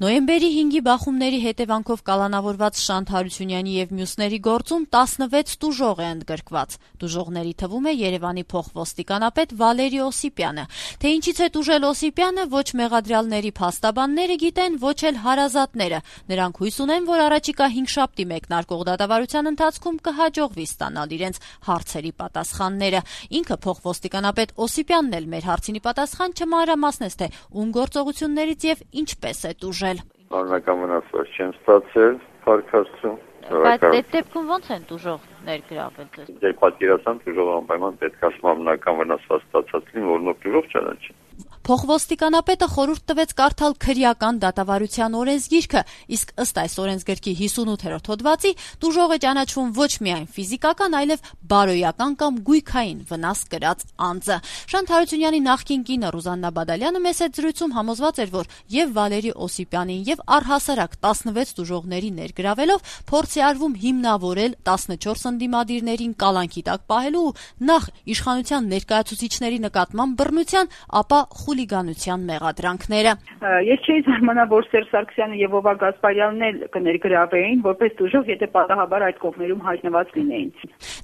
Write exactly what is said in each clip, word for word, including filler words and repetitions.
Նոյեմբերի հինգի բախումների հետևանքով կալանավորված Շանթ Հարությունյանի եւ մյուսների գործում տասնվեց տուժող է ընդգրկված։ Տուժողների թվում է Երևանի փոխոստիկանապետ Վալերի Օսիպյանը։ Թե ինչից է տուժել Օսիպյանը, ոչ մեղադրյալների փաստաբանները գիտեն, ոչ էլ հարազատները։ Նրանք հույս ունեն, որ առաջիկա հինգշաբթի մեկնարկող դատավարության ընթացքում կհաջողվի ստանալ իրենց հարցերի պատասխանները։ Ինքը փոխոստիկանապետ Օսիպյանն էլ մեր հարցինի պատասխան չմանրամասնեց, թե ում գործողություններից եւ ինչպես է տուժել։ Անձնական վնասվածք չեմ ստացել, փառքաստու։ Բայց այդ դեպքում ո՞նց են տուժող ներգրավել ձեզ։ Երբ պատկերացան տուժող անպայման պետք է անձնական վնասվածք ստացած լինի, որոնով տուժող չանաչի։ Փոխոստիկանապետը խորհուրդ տվեց կարդալ քրեական դատավարության օրենսգիրքը, իսկ ըստ այս օրենսգրքի հիսունութերորդ հոդվածի տուժող է ճանաչվում ոչ միայն ֆիզիկական, այլև բարոյական կամ գույքային վնաս կրած անձը։ Շանթ Հարությունյանի նախկին կինը Ռուզաննա Բադալյանը մեծ զրույցում համոզված էր, որ եւ Վալերի Օսիպյանին եւ առհասարակ տասնվեց տուժողների ներգրավելով փորձ է արվում հիմնավորել տասնչորս ընդդիմադիրներին կալանքի տակ պահելու նախ իշխանության ներկայացուցիչների նկատմամբ բռնության, ապա խուլիգանության մեղադրանքները։ Ես չէի զարմանա, որ Սերժ Սարգսյանը եւ Վովա Գասպարյանն էլ կներգրավեին, որպես տուժող, եթե պատահաբար այդ կողմերում հայտնված լինեին։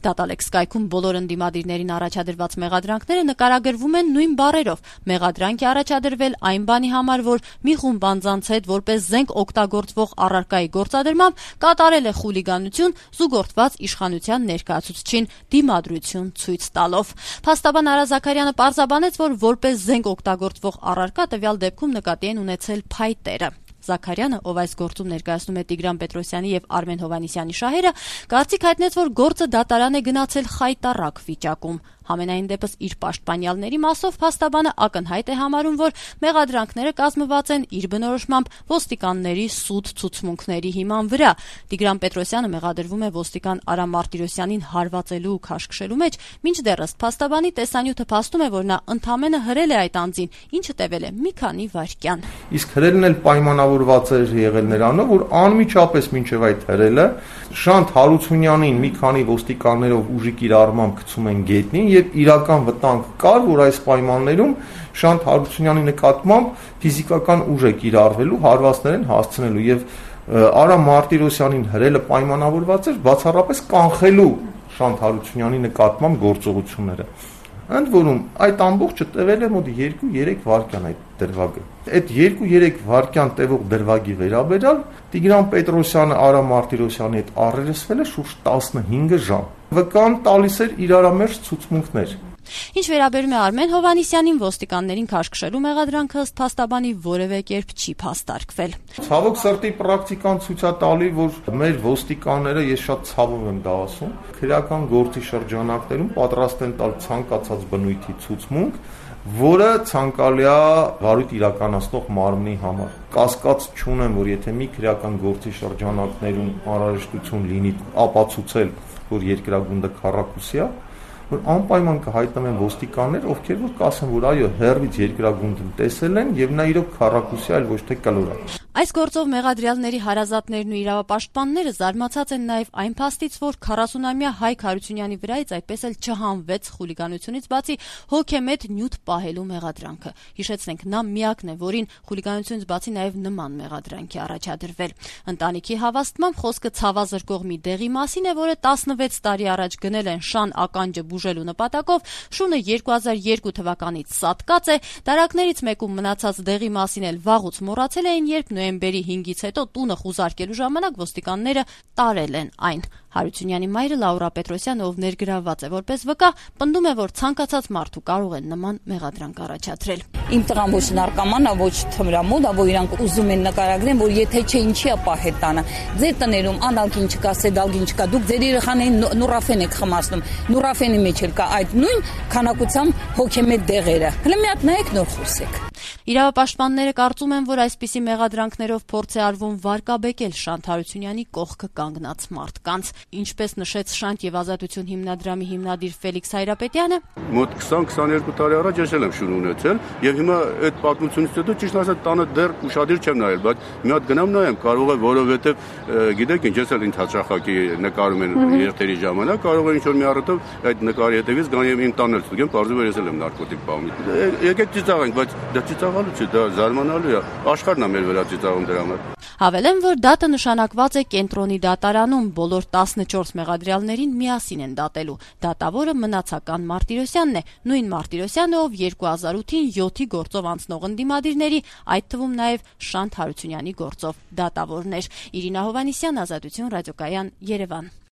Դատալեքս կայքում բոլոր ընդդիմադիրներին առաջադրված մեղադրանքները նկարագրվում են նույն բառերով։ Մեղադրանք է առաջադրվել այն բանի համար, որ մի խումբ անձանց հետ որպես զենք օգտագործվող առարկայի գործադրմամբ կատարել է խուլիգանություն, զուգորդված իշխանության ներկայացուցչին դիմադրություն ցույց տալով։ Փաստաբան Արա Զաքարյանը պարզաբանեց, որ որպես զենք օգտագործվող առարկա տվյալ դեպքում նկատի են ունեցել փայտերը։ Զաքարյանը, ով այս գործում ներկայացնում է Տիգրան Պետրոսյանի եւ Արմեն Հովհաննիսյանի շահերը, կարծիք հայտնեց, որ գործը դատարան է գնացել խայտառակ վիճակում։ Համենայն դեպս իր պաշտպանյալների մասով փաստաբանը ակնհայտ է համարում, որ մեղադրանքները կազմված են իր բնորոշմամբ ոստիկանների սուտ ցուցմունքների հիման վրա։ Տիգրան Պետրոսյանը մեղադրվում է ոստիկան Արա Մարտիրոսյանին հարվածելու ու քաշքշելու մեջ, մինչդեռ ըստ փաստաբանի տեսանյութը փաստում է, որ նա ընդամենը հրել է այդ անձին, ինչը տևել է մի քանի վայրկյան։ Իսկ հրելն էլ պայմանավորված էր եղել նրանով, որ անմիջապես մինչև այդ հրելը Շանթ Հարությունյանին մի քանի ոստիկաններով ուժի կիրառմամբ գցում են գետնին եւ իրական վտանգ կար, որ այս պայմաններում Շանթ Հարությունյանի նկատմամբ ֆիզիկական ուժ է կիրառվելու, հարվածներ են հասցնելու եւ Արա Մարտիրոսյանին հրելը պայմանավորված էր բացառապես կանխելու Շանթ Հարությունյանի նկատմամբ գործողությունները։ Ընդ որում այդ ամբողջը տևել է մոտ երկու-երեք վայրկյան այդ դրվագը։ Այդ երկու-երեք վայրկյան տևող դրվագի վերաբերյալ Տիգրան Պետրոսյանը Արա Մարտիրոսյանի հետ առերեսվել է շուրջ տասնհինգ ժամ։ Վկան տալիս էր իրարամերժ ցուցմունքներ։ Ինչ վերաբերում է Արմեն Հովհաննիսյանին, ոստիկաններին քաշքշելու մեղադրանքը ըստ փաստաբանի որևէ կերպ չի փաստարկվել։ Ցավոք սրտի պրակտիկան ցույց է տալի, որ մեր ոստիկանները, ես շատ ցավով եմ դա ասում, քրեական գործի շրջանակներում պատրաստ են տալ ցանկացած բնույթի ցուցմունք, որը ցանկալի է վարույթ իրականացնող մարմնի համար։ Կասկած չունեմ, որ եթե մի քրեական գործի շրջանակներում անհրաժեշտություն լինի ապացուցել, որ երկրագունդը քառակուսի է, որ անպայման կհայտնվեն ոստիկաններ, ովքեր որ կասեն, որ այո, հերվից երկրագունդը տեսել են եւ նա իրոք քառակուսի, այլ ոչ թե կլոր է։ Այս գործով մեղադրյալների հարազատներն ու իրավապաշտպանները զարմացած են նաև այն փաստից, որ քառասունամյա Հայկ Հարությունյանի վրայից այդպես էլ չհանվեց խուլիգանությունից բացի հոգեմետ նյութ պահելու մեղադրանքը։ Հիշեցնենք, նա միակն է, որին խուլիգանությունից բացի նաև նման մեղադրանքի առաջադրվել։ Ընտանիքի հավաստմամբ խոսքը ցավազրկող մի դեղի մասին է, որը տասնվեց տարի առաջ գնել են շան ականջը բուժելու նպատակով, շունը երկու հազար երկու թվականից սատկած է, դարակներից մեկում մնացած դեղի մասին էլ վաղուց մոռացել էին, երբ նոյեմբերի հինգից հետո տունը խուզարկելու ժամանակ ոստիկանները տարել են այն։ Հարությունյանի մայրը Լաուրա Պետրոսյանը, ով ներգրավված է որպես վկա, պնդում է, որ ցանկացած մարդու կարող է նման մեղադրանք առաջադրել։ Իմ տղան ոչ նարկոման է, ոչ թմրամոլ է, որ իրանք ուզում են նկարագրեն, որ եթե չէ ինչի է պահել տանը։ Ձեր տներում անալգին չկա, սեդալգին չկա, դուք ձեր երեխաներին նուրաֆեն եք խմացնում։ Նուրաֆենի մեջ էլ կա այդ նույն քանակությամբ հոգեմետ դեղերը։ Հələ մի հատ նայեք, նոր խոսեք։ Իրավապաշտպանները կարծում են, որ այսպիսի մեղադրանքներով փորձ է արվում վարկաբեկել Շանթ Հարությունյանի կողքը կանգնած մարդկանց։ Ինչպես նշեց Շանթ եւ Ազատություն հիմնադրամի հիմնադիր Ֆելիքս Հայրապետյանը, մոտ քսան-քսաներկու տարի առաջ ես եմ շուն ունեցել եւ հիմա այդ պատմությունից հետո ճիշտ ասած տանը դեռ ուշադիր չեմ նայել, բայց մի հատ գնամ նայեմ, կարող է որովհետեւ գիտեք ինչ ես էլ ինձ հաճախակի նկարում են երթերի ժամանակ, կարող է ինչ որ մի առիթով այդ նկարի հետևից գան եւ իմ տանել ստուգեմ, բարձր ես էլ եմ նարկոտիկ բաղում։ Եկեք ծիծաղենք, բայց դա ծիծաղ ցավալու չէ, դա զարմանալի է։ Աշխարհն է մեր վրա ծիծաղում դրա համար։ Հավելեմ, որ դատը նշանակված է կենտրոնի դատարանում, բոլոր տասնչորս մեղադրյալներին միասին են դատելու։ Դատավորը մնացական Մարտիրոսյանն է, նույն Մարտիրոսյանը, ով երկու հազար ութին յոթի գործով անցնող ընդդիմադիրների, այդ թվում նաև Շանթ Հարությունյանի գործով դատավորն էր։ Իրինա Հովհաննիսյան, Ազատություն, Ռադիոկայան, Երևան։